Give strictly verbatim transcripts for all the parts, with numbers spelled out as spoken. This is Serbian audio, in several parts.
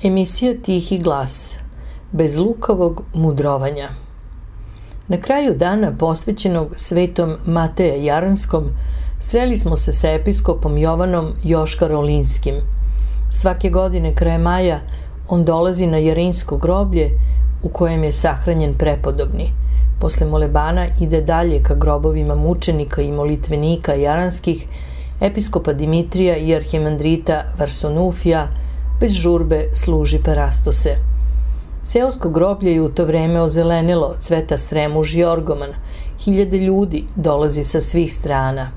Emisija Tihi glas, bez lukavog mudrovanja. Na kraju dana posvećenog svetom Mateja Jaranskom sreli smo se sa episkopom Jovanom Joškarolinskim. Svake godine kraje maja on dolazi na Jarinsko groblje u kojem je sahranjen prepodobni. Posle molebana ide dalje ka grobovima mučenika i molitvenika jaranskih, episkopa Dimitrija i arhimandrita Varsonufija. Bez žurbe služi parastose. Seosko groblje je u to vreme ozelenilo, cveta sremuž i orgoman. Hiljade ljudi dolazi sa svih strana.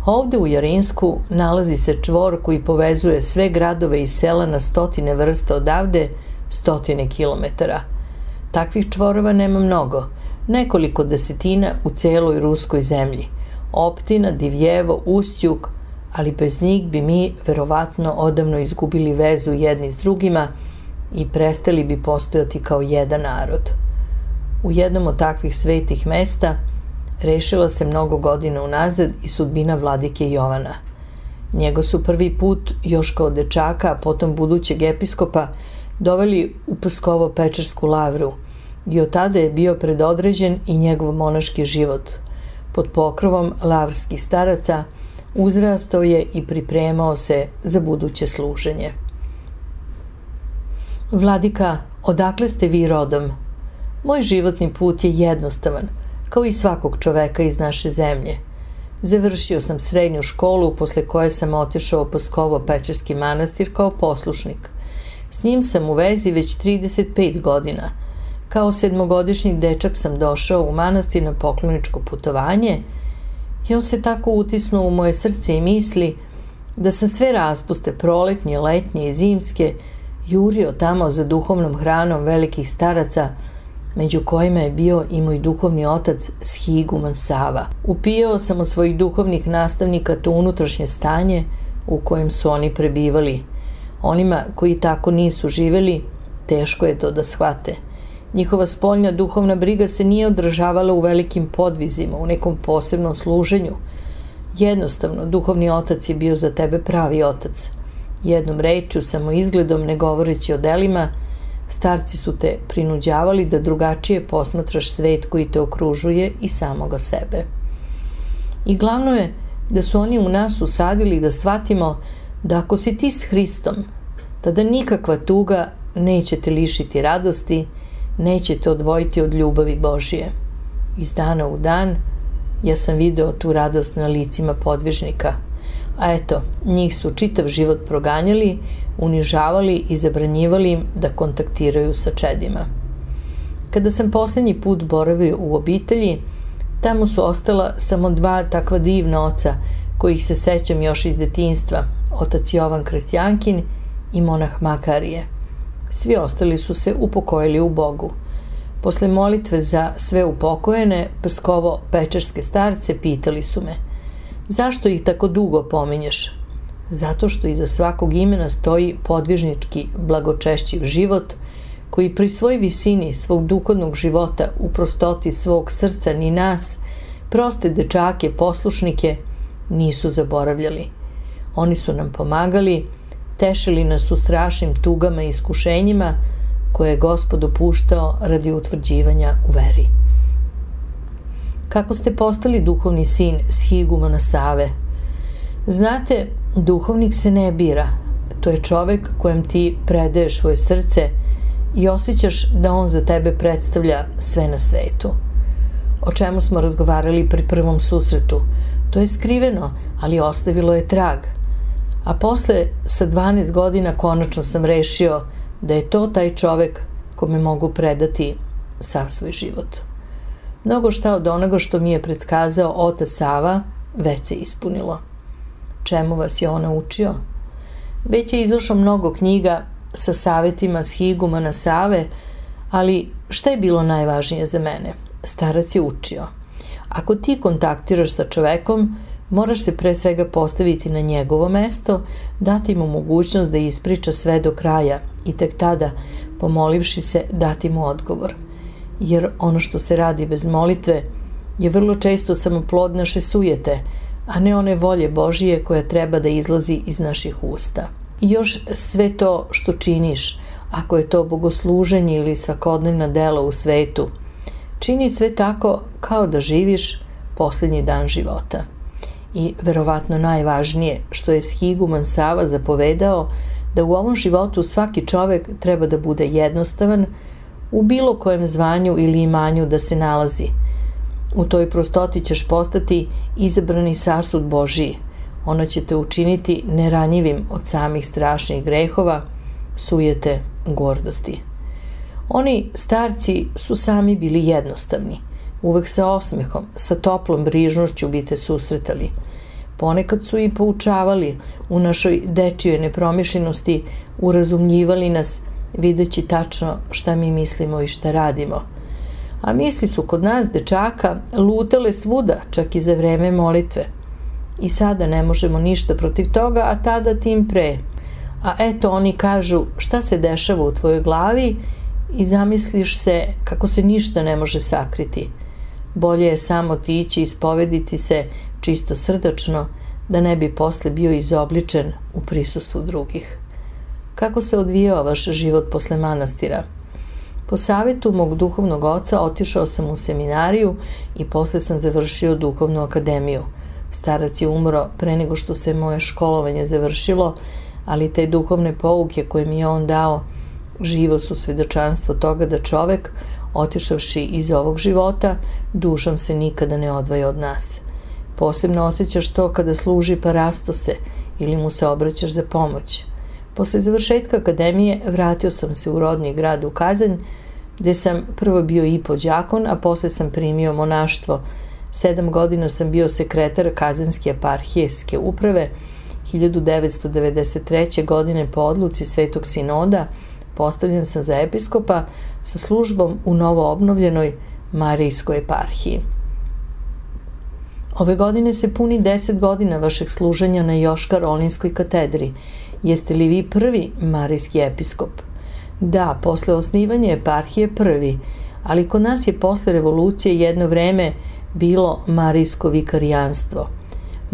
Ovde u Jarinsku nalazi se čvor koji povezuje sve gradove i sela na stotine vrsta odavde, stotine kilometara. Takvih čvorova nema mnogo, nekoliko desetina u celoj ruskoj zemlji. Optina, Divljevo, Ustjuk, ali bez njih bi mi verovatno odavno izgubili vezu jedni s drugima i prestali bi postojati kao jedan narod. U jednom od takvih svetih mesta rešila se mnogo godina unazad i sudbina vladike Jovana. Njega su prvi put, još kao dečaka, a potom budućeg episkopa, doveli u Pskovo-Pečersku lavru i od tada je bio predodređen i njegov monaški život. Pod pokrovom lavrskih staraca uzrastao je i pripremao se za buduće služenje. Vladika, odakle ste vi rodom? Moj životni put je jednostavan, kao i svakog čoveka iz naše zemlje. Završio sam srednju školu, posle koje sam otišao u Pskovo-Pečerski manastir kao poslušnik. S njim sam u vezi već trideset pet godina. Kao sedmogodišnji dečak sam došao u manastir na pokloničko putovanje i on se tako utisnuo u moje srce i misli da sam sve raspuste proletnje, letnje i zimske jurio tamo za duhovnom hranom velikih staraca, među kojima je bio i moj duhovni otac Shiguman Sava. Upijao sam od svojih duhovnih nastavnika to unutrašnje stanje u kojem su oni prebivali. Onima koji tako nisu živeli, teško je to da shvate. Njihova spoljna duhovna briga se nije odražavala u velikim podvizima, u nekom posebnom služenju. Jednostavno, duhovni otac je bio za tebe pravi otac. Jednom rečju, samo izgledom, ne govoreći o delima, Starci su te prinuđavali da drugačije posmatraš svet koji te okružuje i samoga sebe. I glavno je da su oni u nas usadili da shvatimo da ako si ti s Hristom, tada nikakva tuga neće te lišiti radosti, neće te odvojiti od ljubavi Božije. Iz dana u dan ja sam video tu radost na licima podvižnika, a eto, njih su čitav život proganjali, unižavali i zabranjivali im da kontaktiraju sa čedima. Kada sam posljednji put boravio u obitelji, tamo su ostala samo dva takva divna oca, kojih se sećam još iz detinjstva, otac Jovan Krestjankin i monah Makarije. Svi ostali su se upokojili u Bogu. Posle molitve za sve upokojene, Pskovo-pečerske starce pitali su me: zašto ih tako dugo pominješ? Zato što iza svakog imena stoji podvižnički blagočešćiv život, koji pri svoj visini svog duhovnog života u prostoti svog srca ni nas, proste dečake, poslušnike, nisu zaboravljali. Oni su nam pomagali, tešili nas u strašnim tugama i iskušenjima koje je Gospod dopuštao radi utvrđivanja u veri. Kako ste postali duhovni sin shigumana Save? Znate, duhovnik se ne bira. To je čovek kojem ti predaješ svoje srce i osjećaš da on za tebe predstavlja sve na svetu. O čemu smo razgovarali pri prvom susretu? To je skriveno, ali ostavilo je trag. A posle, sa dvanaest godina, konačno sam rešio da je to taj čovek kome mogu predati sav svoj život. Mnogo šta od onoga što mi je predskazao otac Sava već se ispunilo. Čemu vas je on naučio? Već je izašlo mnogo knjiga sa savetima shigumana Save, ali šta je bilo najvažnije za mene? Starac je učio. Ako ti kontaktiraš sa čovekom, moraš se pre svega postaviti na njegovo mesto, dati mu mogućnost da ispriča sve do kraja i tek tada, pomolivši se, dati mu odgovor. Jer ono što se radi bez molitve je vrlo često samo plod naše sujete, a ne one volje Božije koja treba da izlazi iz naših usta. I još sve to što činiš, ako je to bogosluženje ili svakodnevna dela u svetu, čini sve tako kao da živiš posljednji dan života. I verovatno najvažnije što je shiguman Sava zapovedao, da u ovom životu svaki čovek treba da bude jednostavan u bilo kojem zvanju ili imanju da se nalazi. U toj prostoti ćeš postati izabrani sasud Božiji. Ono će te učiniti neranjivim od samih strašnih grehova, sujete, gordosti. Oni starci su sami bili jednostavni. Uvek sa osmehom, sa toplom brižnošću bi te susretali. Ponekad su i poučavali u našoj dečijoj nepromišljenosti, urazumljivali nas, videći tačno šta mi mislimo i šta radimo. A misli su kod nas dečaka lutale svuda, čak i za vreme molitve. I sada ne možemo ništa protiv toga, a tada tim pre. A eto, oni kažu šta se dešava u tvojoj glavi i zamisliš se kako se ništa ne može sakriti. Bolje je samo otići i ispovediti se čisto srdačno, da ne bi posle bio izobličen u prisustvu drugih. Kako se odvijao vaš život posle manastira? Po savetu mog duhovnog oca otišao sam u seminariju i posle sam završio duhovnu akademiju. Starac je umro pre nego što se moje školovanje završilo, ali te duhovne pouke koje mi je on dao živo su svedočanstvo toga da čovek, otišavši iz ovog života, dušom se nikada ne odvaja od nas. Posebno osjećaš to kada služi parastose ili mu se obraćaš za pomoć. Posle završetka akademije vratio sam se u rodni grad u Kazanj, gde sam prvo bio i podđakon, a posle sam primio monaštvo. Sedam godina sam bio sekretar Kazanjske eparhijske uprave. hiljadu devetsto devedeset treće. godine po odluci Svetog Sinoda postavljen sam za episkopa sa službom u novo obnovljenoj Marijskoj eparhiji. Ove godine se puni deset godina vašeg služenja na Joškar-Olinskoj katedri. Jeste li vi prvi marijski episkop? Da, posle osnivanja eparhije prvi, ali kod nas je posle revolucije jedno vreme bilo marijsko vikarijanstvo.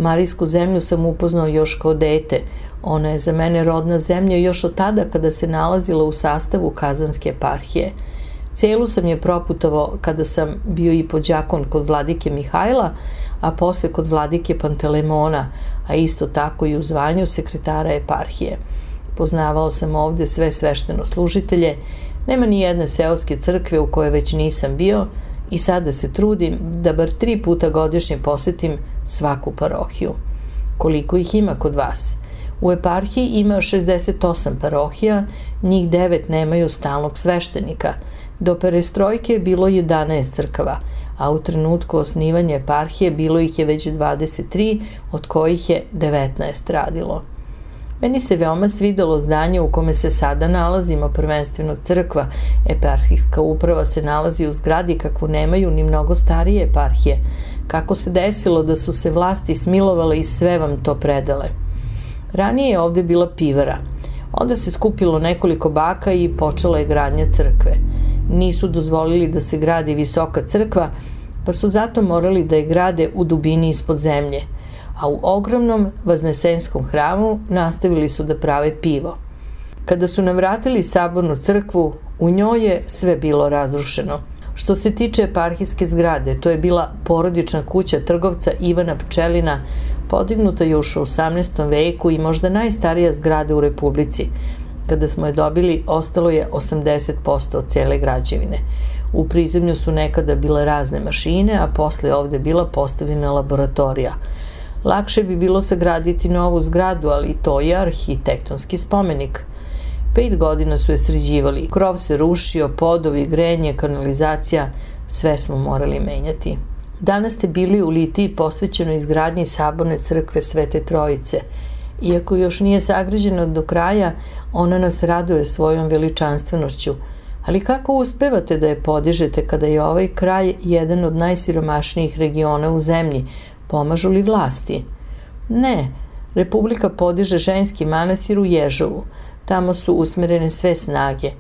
Marijsku zemlju sam upoznao još kao dete. Ona je za mene rodna zemlja još od tada kada se nalazila u sastavu Kazanske eparhije. Celu sam je proputovao kada sam bio i pođakon kod vladike Mihajla, a posle kod vladike Pantelemona, a isto tako i u zvanju sekretara eparhije. Poznavao sam ovde sve svešteno-služitelje, nema ni jedne seoske crkve u kojoj već nisam bio i sada se trudim da bar tri puta godišnje posetim svaku parohiju. Koliko ih ima kod vas? U eparhiji ima šezdeset osam parohija, njih devet nemaju stalnog sveštenika. Do perestrojke je bilo jedanaest crkava, a u trenutku osnivanja eparhije bilo ih je već dvadeset tri, od kojih je devetnaest radilo. Meni se veoma svidelo zdanje u kome se sada nalazimo, prvenstveno crkva. Eparhijska uprava se nalazi u zgradi kakvu nemaju ni mnogo starije eparhije. Kako se desilo da su se vlasti smilovale i sve vam to predale. Ranije je ovde bila pivara. Onda se skupilo nekoliko baka i počela je gradnja crkve. Nisu dozvolili da se gradi visoka crkva, pa su zato morali da je grade u dubini ispod zemlje, a u ogromnom Vaznesenskom hramu nastavili su da prave pivo. Kada su nam vratili sabornu crkvu, u njoj je sve bilo razrušeno. Što se tiče eparhijske zgrade, to je bila porodična kuća trgovca Ivana Pčelina, podignuta još u osamnaestom veku i možda najstarija zgrada u Republici. Kada smo je dobili, ostalo je osamdeset posto od cele građevine. U prizemlju su nekada bile razne mašine, a posle ovde bila postavljena laboratorija. Lakše bi bilo sagraditi novu zgradu, ali to je arhitektonski spomenik. Pet godina su je sređivali, krov se rušio, podovi, grenje, kanalizacija, sve smo morali menjati. Danas ste bili u Litiji posvećeno izgradnji saborne crkve Svete Trojice. Iako još nije sagrađena do kraja, ona nas raduje svojom veličanstvenošću. Ali kako uspevate da je podižete kada je ovaj kraj jedan od najsiromašnijih regiona u zemlji? Pomažu li vlasti? Ne, Republika podiže ženski manastir u Ježovu. Tamo su usmerene sve snage.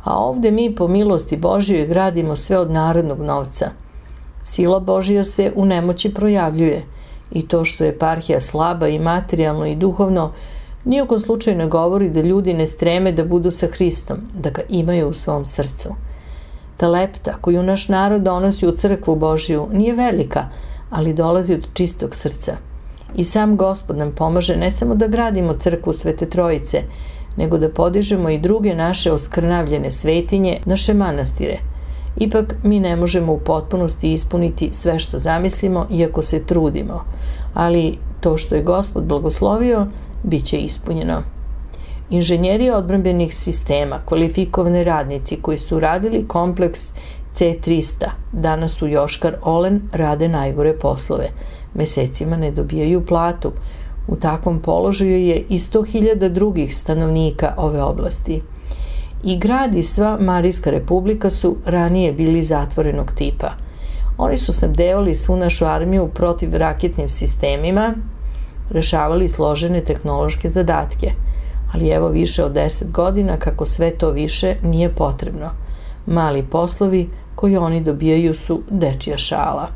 A ovde mi po milosti Božjoj gradimo sve od narodnog novca. Sila Božja se u nemoći projavljuje. I to što je eparhija slaba i materijalno i duhovno, nijekom slučaju ne govori da ljudi ne streme da budu sa Hristom, da ga imaju u svom srcu. Ta lepta koju naš narod donosi u crkvu Božju nije velika, ali dolazi od čistog srca. I sam Gospod nam pomaže ne samo da gradimo crkvu Svete Trojice, nego da podižemo i druge naše oskrnavljene svetinje, naše manastire. Ipak mi ne možemo u potpunosti ispuniti sve što zamislimo, iako se trudimo, ali to što je Gospod blagoslovio, bit će ispunjeno. Inženjeri odbrambenih sistema, kvalifikovani radnici koji su radili kompleks C trista, danas u Joškar Olen rade najgore poslove. Mesecima ne dobijaju platu. U takvom položaju je i sto hiljada drugih stanovnika ove oblasti. I grad i sva Marijska republika su ranije bili zatvorenog tipa. Oni su snabdevali svu našu armiju protiv raketnim sistemima, rešavali složene tehnološke zadatke. Ali evo više od deset godina kako sve to više nije potrebno. Mali poslovi koji oni dobijaju su dečija šala.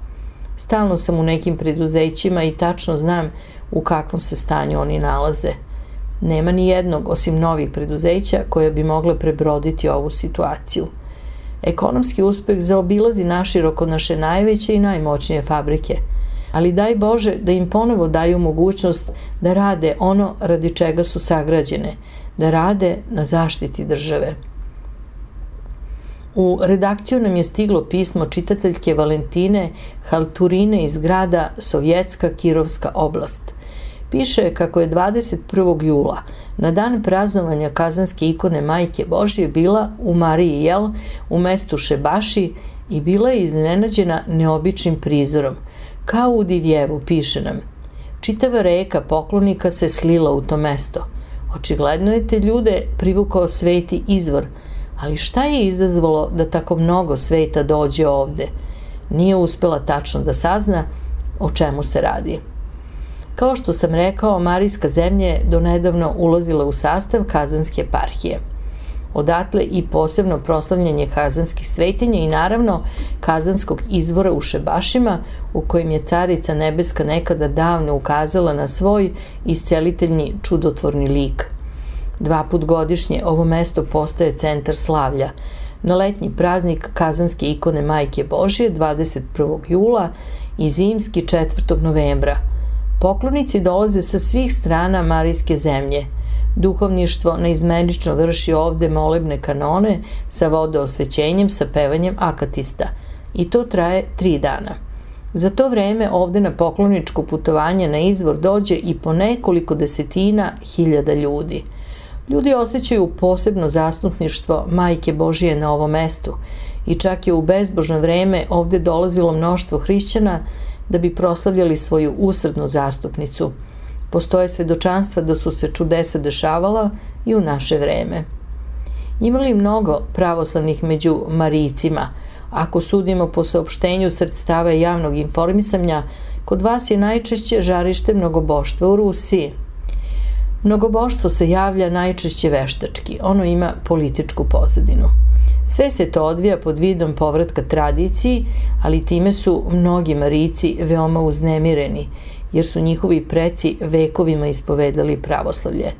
Stalno sam u nekim preduzećima i tačno znam u kakvom se stanju oni nalaze. Nema ni jednog, osim novih preduzeća, koje bi mogle prebroditi ovu situaciju. Ekonomski uspeh zaobilazi naširoko naše najveće i najmoćnije fabrike, ali daj Bože da im ponovo daju mogućnost da rade ono radi čega su sagrađene, da rade na zaštiti države. U redakciju nam je stiglo pismo čitateljke Valentine Halturine iz grada Sovjetska Kirovska oblast. Piše kako je dvadeset prvog jula, na dan praznovanja Kazanske ikone Majke Božje, bila u Mariji Jel, u mestu Šebaši, i bila je iznenađena neobičnim prizorom. Kao u Divjevu, piše nam. Čitava reka poklonika se slila u to mesto. Očigledno je te ljude privukao sveti izvor, ali šta je izazvalo da tako mnogo sveta dođe ovde? Nije uspela tačno da sazna o čemu se radi. Kao što sam rekao, Marijska zemlja je donedavno ulazila u sastav Kazanske eparhije. Odatle i posebno proslavljanje kazanskih svetinja i naravno kazanskog izvora u Šebašima, u kojem je Carica Nebeska nekada davno ukazala na svoj isceliteljni čudotvorni lik. Dva put godišnje ovo mesto postaje centar slavlja. Na letnji praznik kazanske ikone Majke Božije dvadeset prvog jula i zimski četvrtog novembra. Poklonici dolaze sa svih strana Marijske zemlje. Duhovništvo neizmenično vrši ovde molebne kanone sa vodoosvećenjem, sa pevanjem akatista. I to traje tri dana. Za to vreme ovde na pokloničko putovanje na izvor dođe i po nekoliko desetina hiljada ljudi. Ljudi osjećaju posebno zastupništvo Majke Božije na ovom mestu i čak je u bezbožno vreme ovde dolazilo mnoštvo hrišćana da bi proslavljali svoju usrednu zastupnicu. Postoje svedočanstva da su se čudesa dešavala i u naše vreme. Ima li mnogo pravoslavnih među Marijcima? Ako sudimo po saopštenju sredstava javnog informisanja, kod vas je najčešće žarište mnogoboštva u Rusiji. Mnogoboštvo se javlja najčešće veštački, ono ima političku pozadinu. Sve se to odvija pod vidom povratka tradiciji, ali time su mnogi Marijci veoma uznemireni, jer su njihovi preci vekovima ispovedali pravoslavlje.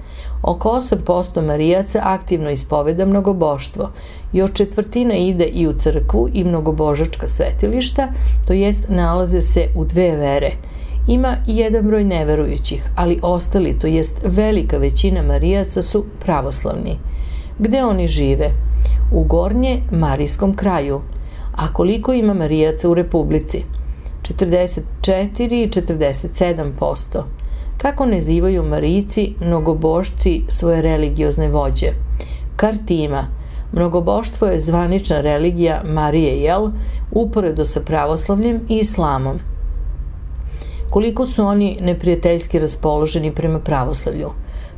Oko osam posto Marijaca aktivno ispoveda mnogoboštvo, još četvrtina ide i u crkvu i mnogobožačka svetilišta, to jest nalaze se u dve vere. Ima i jedan broj neverujućih, ali ostali, to jest velika većina Marijaca su pravoslavni. Gde oni žive? U gornje Marijskom kraju. A koliko ima Marijaca u Republici? četrdeset četiri i četrdeset sedam posto. Kako nazivaju Marijci, mnogobošci, svoje religiozne vođe? Kartima. Mnogoboštvo je zvanična religija Marije Jel, uporedo sa pravoslavljem i islamom. Koliko su oni neprijateljski raspoloženi prema pravoslavlju?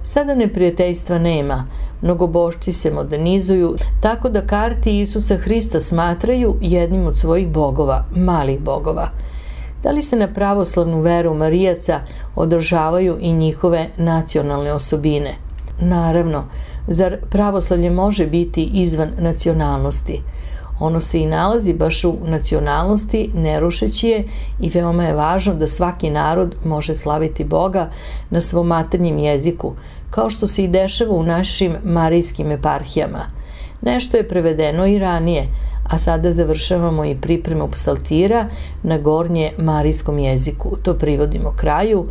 Sada neprijateljstva nema, mnogobošci se modernizuju, tako da karti Isusa Hrista smatraju jednim od svojih bogova, malih bogova. Da li se na pravoslavnu veru Marijaca održavaju i njihove nacionalne osobine? Naravno, zar pravoslavlje može biti izvan nacionalnosti? Ono se i nalazi baš u nacionalnosti, ne rušeći je, i veoma je važno da svaki narod može slaviti Boga na svom maternjem jeziku, kao što se i dešava u našim marijskim eparhijama. Nešto je prevedeno i ranije, a sada završavamo i pripremu psaltira na gornje marijskom jeziku. To privodimo kraju.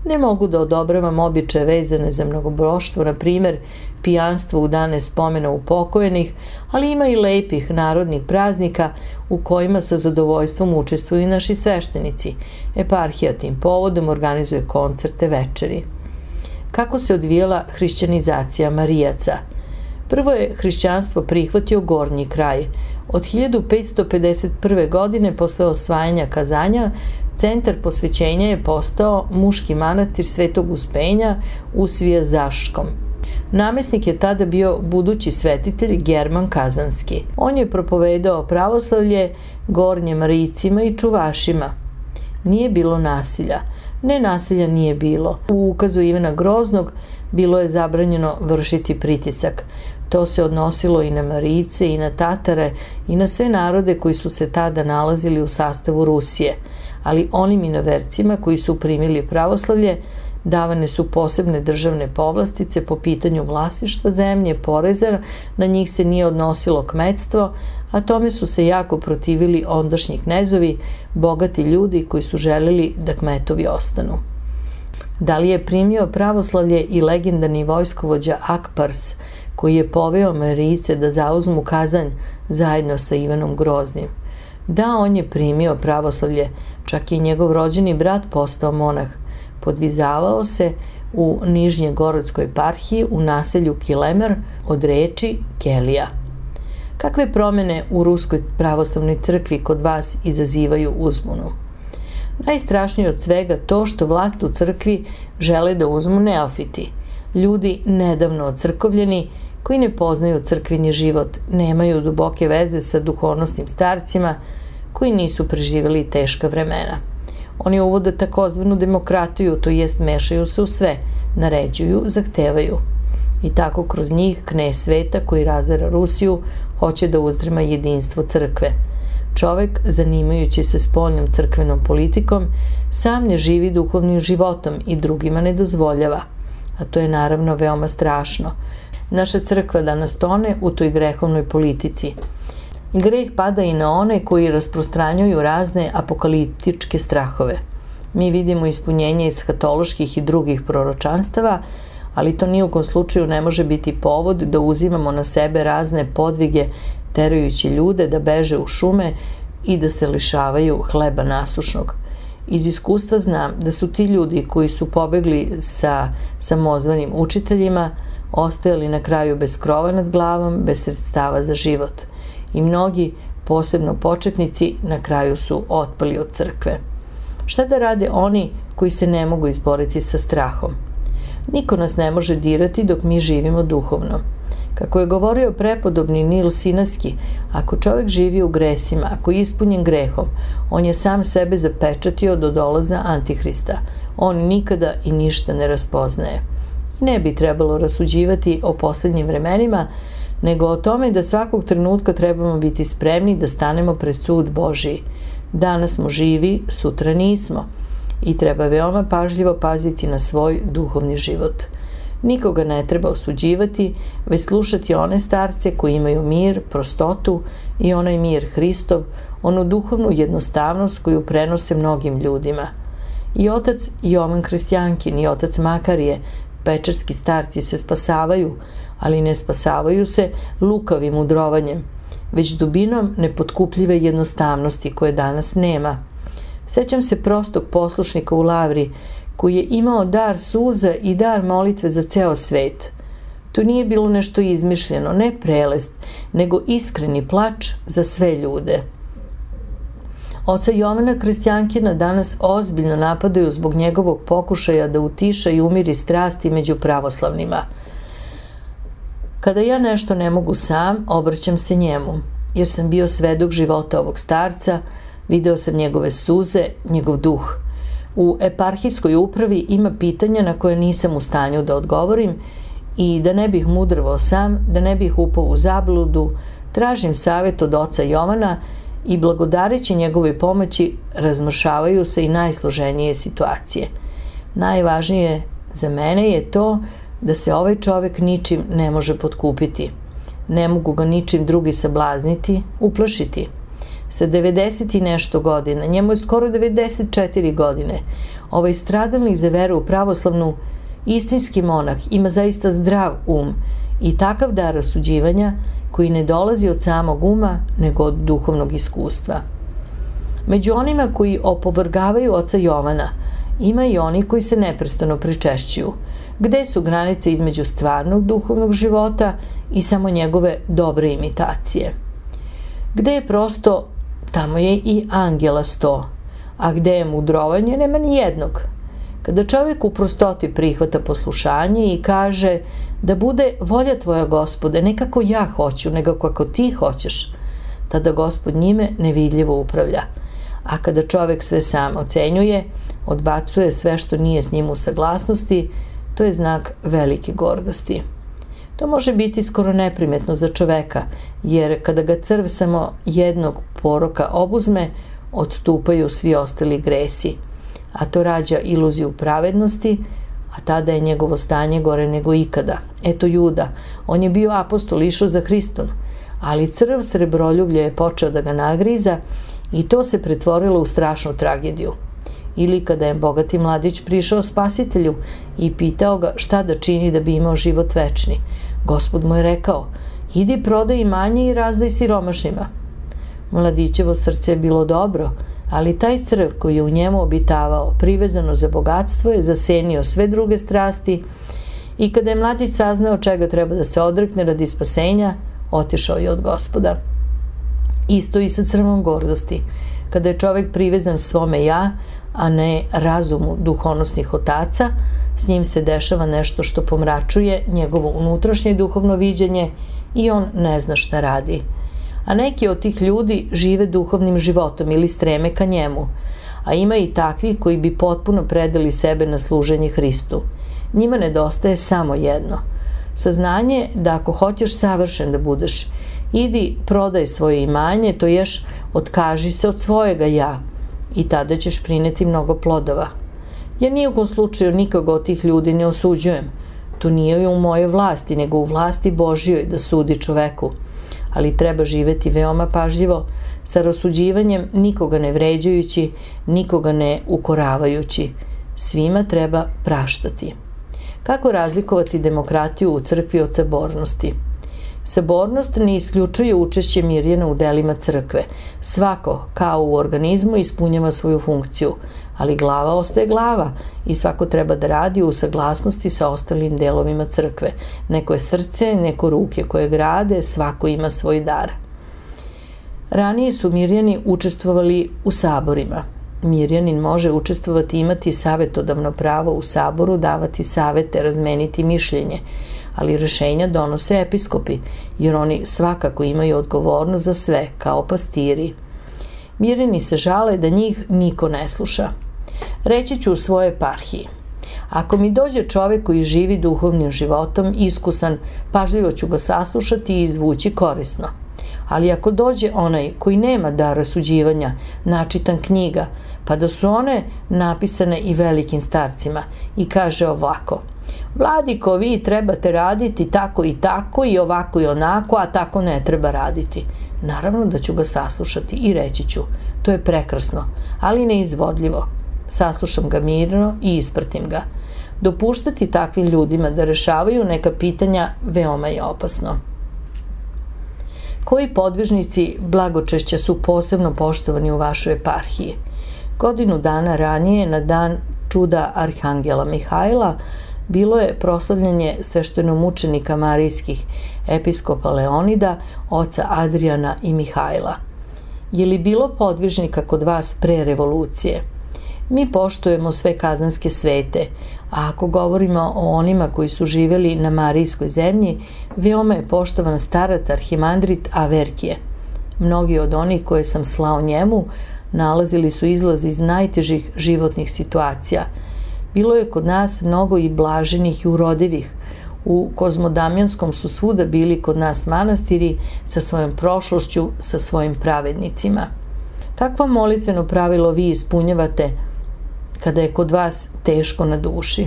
Ne mogu da odobravam običaje vezane za mnogoboštvo, na primer pijanstvo u dane spomena upokojenih, ali ima i lepih narodnih praznika u kojima sa zadovoljstvom učestvuju i naši sveštenici. Eparhija tim povodom organizuje koncerte, večeri. Kako se odvijala hrišćanizacija Marijaca? Prvo je hrišćanstvo prihvatio gornji kraj. Od hiljadu petsto pedeset prve. godine, posle osvajanja Kazanja, centar posvećenja je postao muški manastir Svetog Uspenja u Svijazaškom. Namesnik je tada bio budući svetitelj German Kazanski. On je propovedao pravoslavlje gornje Marijcima i čuvašima. Nije bilo nasilja. Ne, nasilja nije bilo. U ukazu Ivana Groznog bilo je zabranjeno vršiti pritisak. To se odnosilo i na Marijce, i na Tatare, i na sve narode koji su se tada nalazili u sastavu Rusije. Ali onim inovercima koji su primili pravoslavlje davane su posebne državne povlastice po pitanju vlasništva zemlje, poreza, na njih se nije odnosilo kmetstvo, a tome su se jako protivili ondašnji knezovi, bogati ljudi koji su želeli da kmetovi ostanu. Da li je primio pravoslavlje i legendarni vojskovođa Akpars, koji je poveo Marijce da zauzmu Kazanj zajedno sa Ivanom Groznim? Da, on je primio pravoslavlje, čak i njegov rođeni brat postao monah. Podvizavao se u Nižnjegorodskoj eparhiji u naselju Kilemer od reči Kelija. Kakve promene u Ruskoj pravoslavnoj crkvi kod vas izazivaju uzbunu? Najstrašnije od svega to što vlast u crkvi žele da uzmu neofiti. Ljudi nedavno ocrkovljeni, koji ne poznaju crkveni život, nemaju duboke veze sa duhovnosnim starcima, koji nisu preživjeli teška vremena. Oni uvode takozvanu demokratiju, to jest mešaju se u sve, naređuju, zahtevaju. i tako kroz njih knez sveta koji razara Rusiju hoće da uzdrma jedinstvo crkve. Čovek, zanimajući se spoljnom crkvenom politikom, sam ne živi duhovnim životom i drugima ne dozvoljava. A to je naravno veoma strašno. Naša crkva danas tone u toj grehovnoj politici. Greh pada i na one koji rasprostranjuju razne apokaliptičke strahove. Mi vidimo ispunjenje eshatoloških i drugih proročanstava, ali to nijukom slučaju ne može biti povod da uzimamo na sebe razne podvige terajući ljude da beže u šume i da se lišavaju hleba nasušnog. Iz iskustva znam da su ti ljudi koji su pobegli sa samozvanim učiteljima ostajali na kraju bez krova nad glavom, bez sredstava za život. I mnogi, posebno početnici, na kraju su otpali od crkve. Šta da rade oni koji se ne mogu izboriti sa strahom? Niko nas ne može dirati dok mi živimo duhovno. Kako je govorio prepodobni Nil Sinaski, ako čovjek živi u gresima, ako je ispunjen grehom, on je sam sebe zapečatio do dolaza Antihrista. On nikada i ništa ne raspoznaje. I ne bi trebalo rasuđivati o posljednjim vremenima, nego o tome da svakog trenutka trebamo biti spremni da stanemo pred sud Božiji. Danas smo živi, sutra nismo. I treba veoma pažljivo paziti na svoj duhovni život. Nikoga ne treba osuđivati, već slušati one starce koji imaju mir, prostotu i onaj mir Hristov, onu duhovnu jednostavnost koju prenose mnogim ljudima. I otac Jovan Kristjankin i otac Makarije, pečarski starci, se spasavaju, ali ne spasavaju se lukavim mudrovanjem, već dubinom nepotkupljive jednostavnosti koje danas nema. Sećam se prostog poslušnika u Lavri, koji je imao dar suza i dar molitve za ceo svet. To nije bilo nešto izmišljeno, ne prelest, nego iskreni plač za sve ljude. Oca Jovana Kristjankina danas ozbiljno napadaju zbog njegovog pokušaja da utiša i umiri strasti među pravoslavnima. Kada ja nešto ne mogu sam, obraćam se njemu, jer sam bio svedok života ovog starca, video sam njegove suze, njegov duh. U eparhijskoj upravi ima pitanja na koje nisam u stanju da odgovorim i da ne bih mudrovao sam, da ne bih upao u zabludu, tražim savjet od oca Jovana i blagodareći njegove pomoći razmršavaju se i najsloženije situacije. Najvažnije za mene je to da se ovaj čovek ničim ne može potkupiti. Ne mogu ga ničim drugi sablazniti, uplašiti. Sa devedeset i nešto godina, njemu je skoro devedeset četiri godine, ovaj stradalnik za veru u pravoslavnu, istinski monah, ima zaista zdrav um i takav dar rasuđivanja koji ne dolazi od samog uma, nego od duhovnog iskustva. Među onima koji opovrgavaju oca Jovana, ima i oni koji se neprestano pričešćuju. Gde su granice između stvarnog duhovnog života i samo njegove dobre imitacije? Gde je prosto, tamo je i angela sto, a gde je mudrovanje, nema ni jednog. Kada čovjek u prostoti prihvata poslušanje i kaže da bude volja tvoja, Gospode, ne kako ja hoću, nego kako ti hoćeš, tada Gospod njime nevidljivo upravlja. A kada čovjek sve sam ocenjuje, odbacuje sve što nije s njim u saglasnosti, to je znak velike gordosti. To može biti skoro neprimetno za čoveka, jer kada ga crv samo jednog poroka obuzme, odstupaju svi ostali gresi, a to rađa iluziju pravednosti, a tada je njegovo stanje gore nego ikada. Eto Juda, on je bio apostol, išao za Hristom, ali crv srebroljublje je počeo da ga nagriza i to se pretvorilo u strašnu tragediju. Ili kada je bogati mladić prišao Spasitelju i pitao ga šta da čini da bi imao život večni, Gospod mu je rekao, idi prodaj imanje i razdaj siromašnima. Mladićevo srce je bilo dobro, ali taj crv koji je u njemu obitavao, privezano za bogatstvo, je zasenio sve druge strasti i kada je mladić saznao čega treba da se odrekne radi spasenja, otišao je od Gospoda. Isto i sa crvom gordosti. Kada je čovjek privezan svome ja, a ne razumu duhonosnih otaca, s njim se dešava nešto što pomračuje njegovo unutrašnje duhovno viđenje i on ne zna šta radi. A neki od tih ljudi žive duhovnim životom ili streme ka njemu, a ima i takvi koji bi potpuno predali sebe na služenje Hristu. Njima nedostaje samo jedno. Saznanje da ako hoćeš savršen da budeš, idi prodaj svoje imanje, to ješ otkaži se od svojega ja i tada ćeš prineti mnogo plodova. Ja nijekom slučaju nikoga od tih ljudi ne osuđujem. To nije u moje vlasti, nego u vlasti Božjoj da sudi čoveku. Ali treba živeti veoma pažljivo, sa rasuđivanjem nikoga ne vređajući, nikoga ne ukoravajući. Svima treba praštati. Kako razlikovati demokratiju u crkvi od sabornosti? Sabornost ne isključuje učešće Mirjana u delima crkve. Svako, kao u organizmu, ispunjava svoju funkciju, ali glava ostaje glava i svako treba da radi u saglasnosti sa ostalim delovima crkve. Neko je srce, neko ruke koje grade, svako ima svoj dar. Ranije su Mirjani učestvovali u saborima. Mirjanin može učestvovati i imati savjetodavno pravo u saboru, davati savete, razmeniti mišljenje, ali rešenja donose episkopi, jer oni svakako imaju odgovornost za sve, kao pastiri. Mirjani se žale da njih niko ne sluša. Reći ću u svojoj eparhiji. Ako mi dođe čovek koji živi duhovnim životom, iskusan, pažljivo ću ga saslušati i izvući korisno. Ali ako dođe onaj koji nema dar rasuđivanja, načitan knjiga, pa da su one napisane i velikim starcima, i kaže ovako: Vladiko, vi trebate raditi tako i tako i ovako i onako, a tako ne treba raditi. Naravno da ću ga saslušati i reći ću: to je prekrasno, ali neizvodljivo. Saslušam ga mirno i ispratim ga. Dopuštati takvim ljudima da rešavaju neka pitanja veoma je opasno. Koji podvižnici blagočešća su posebno poštovani u vašoj eparhiji? Godinu dana ranije, na dan čuda Arhangela Mihajla, bilo je proslavljanje sveštenomučenika marijskih, episkopa Leonida, oca Adrijana i Mihajla. Je li bilo podvižnika kod vas pre revolucije? Mi poštujemo sve kazanske svete, a ako govorimo o onima koji su živjeli na Marijskoj zemlji, veoma je poštovan starac arhimandrit Averkije. Mnogi od onih koje sam slao njemu nalazili su izlaz iz najtežih životnih situacija. Bilo je kod nas mnogo i blaženih i urodivih. U Kozmodamjanskom su svuda bili kod nas manastiri sa svojom prošlošću, sa svojim pravednicima. Kakvo molitveno pravilo vi ispunjavate kada je kod vas teško na duši?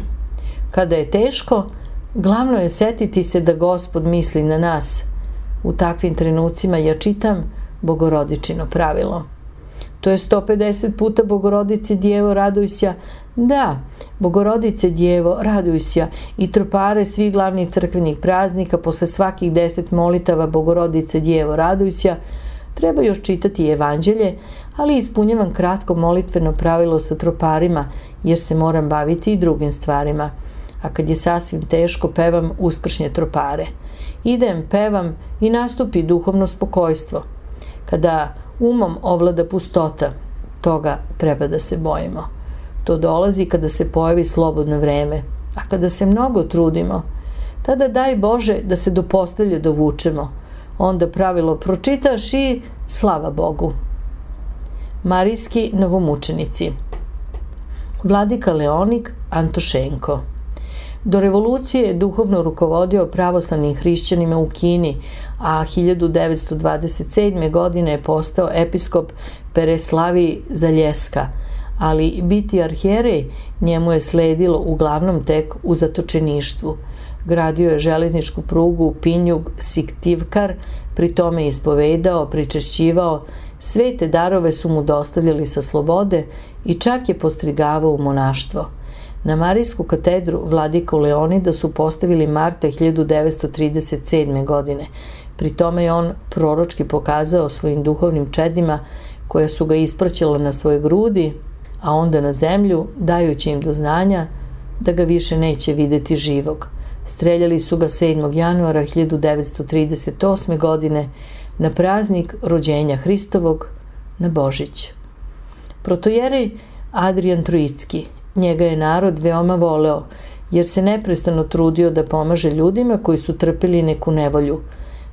Kada je teško, glavno je setiti se da Gospod misli na nas. U takvim trenucima ja čitam Bogorodičino pravilo. To je sto pedeset puta Bogorodice Djevo raduj se. Da, Bogorodice Djevo raduj se i tropare svih glavnih crkvenih praznika posle svakih deset molitava Bogorodice Djevo raduj se. Treba još čitati evanđelje, ali ispunjavam kratko molitveno pravilo sa troparima, jer se moram baviti i drugim stvarima. A kad je sasvim teško, pevam uskršnje tropare. Idem, pevam i nastupi duhovno spokojstvo. Kada umom ovlada pustota, toga treba da se bojimo. To dolazi kada se pojavi slobodno vreme, a kada se mnogo trudimo, tada daj Bože da se do postelje dovučemo. Onda pravilo pročitaš i slava Bogu. Marijski novomučenici. Vladika Leonik Antošenko. Do revolucije je duhovno rukovodio pravoslavnim hrišćanima u Kini, a hiljadu devetsto dvadeset sedme. godine je postao episkop Pereslaviji Zaljeska, ali biti arhijerej njemu je sledilo uglavnom tek u zatočeništvu. Gradio je železničku prugu Pinjug-Siktivkar, pri tome ispovedao, pričešćivao, sve te darove su mu dostavljali sa slobode i čak je postrigavao u monaštvo. Na Marijsku katedru vladiku Leonida su postavili marta hiljadu devetsto trideset sedme. godine. Pri tome je on proročki pokazao svojim duhovnim čedima koja su ga ispraćala na svoje grudi, a onda na zemlju, dajući im do znanja da ga više neće videti živog. Streljali su ga sedmog januara hiljadu devetsto trideset osme. godine na praznik rođenja Hristovog, na Božić. Protojerej Adrijan Trojicki, njega je narod veoma voleo, jer se neprestano trudio da pomaže ljudima koji su trpeli neku nevolju.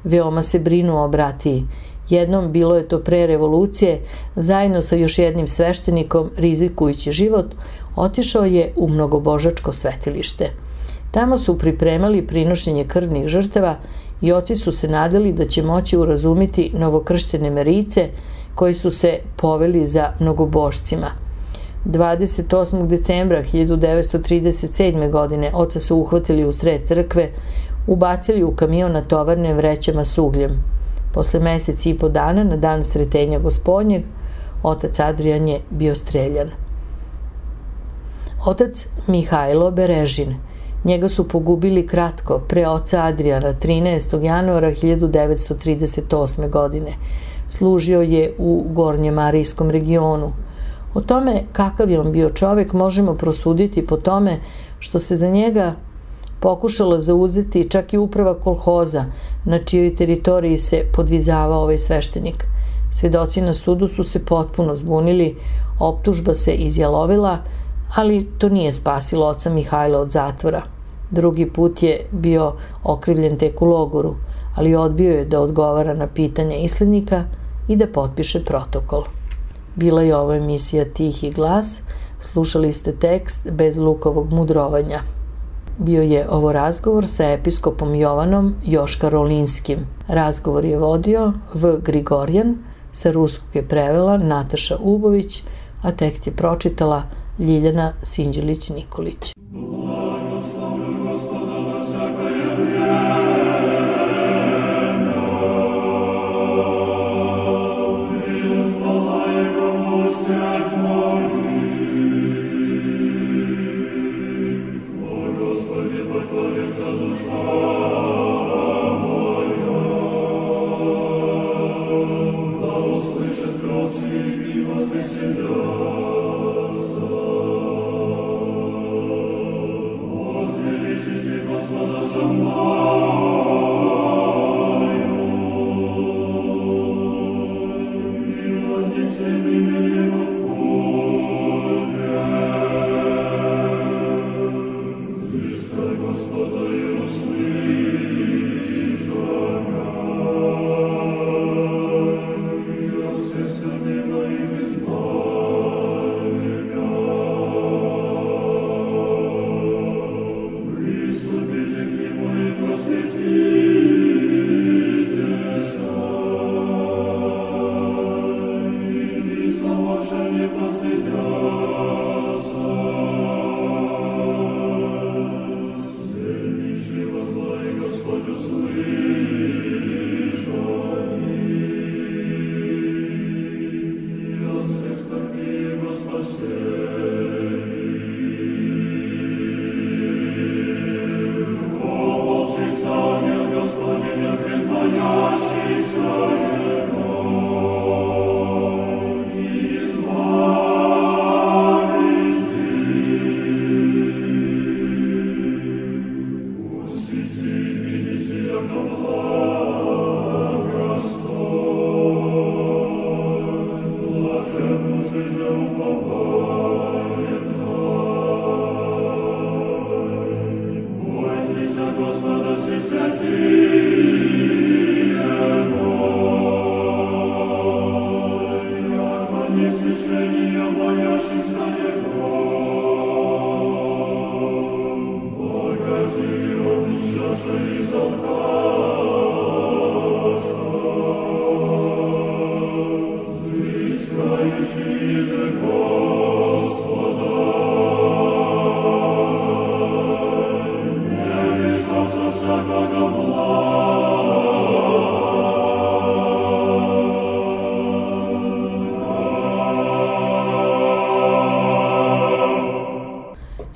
Veoma se brinuo o bratiji. Jednom, bilo je to pre revolucije, zajedno sa još jednim sveštenikom, rizikujući život, otišao je u mnogobožačko svetilište. Tamo su pripremali prinošenje krvnih žrtava i oci su se nadali da će moći urazumiti novokrštene Marijce koji su se poveli za mnogobošcima. dvadeset osmog decembra hiljadu devetsto trideset sedme. godine oca su uhvatili u sred crkve, ubacili u kamion natovarne vrećama s ugljem. Posle meseci i po dana, na dan Sretenja Gospodnjeg, otac Adrijan je bio streljan. Otac Mihajlo Berežin. Njega su pogubili kratko pre oca Adrijana trinaestog januara hiljadu devetsto trideset osme. godine. Služio je u Gornjemarijskom regionu. O tome kakav je on bio čovek možemo prosuditi po tome što se za njega pokušala zauzeti čak i uprava kolhoza na čijoj teritoriji se podvizavao ovaj sveštenik. Svedoci na sudu su se potpuno zbunili, optužba se izjalovila, ali to nije spasilo oca Mihajla od zatvora. Drugi put je bio okrivljen tek u logoru, ali odbio je da odgovara na pitanja islednika i da potpiše protokol. Bila je ovo emisija Tihi glas, slušali ste tekst Bez lukovog mudrovanja. Bio je ovo razgovor sa episkopom Jovanom Joškarolinskim. Razgovor je vodio V. Grigorjan, sa ruskog je prevela Nataša Ubović, a tekst je pročitala Ljiljana Sinđelić-Nikolić.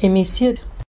Emisija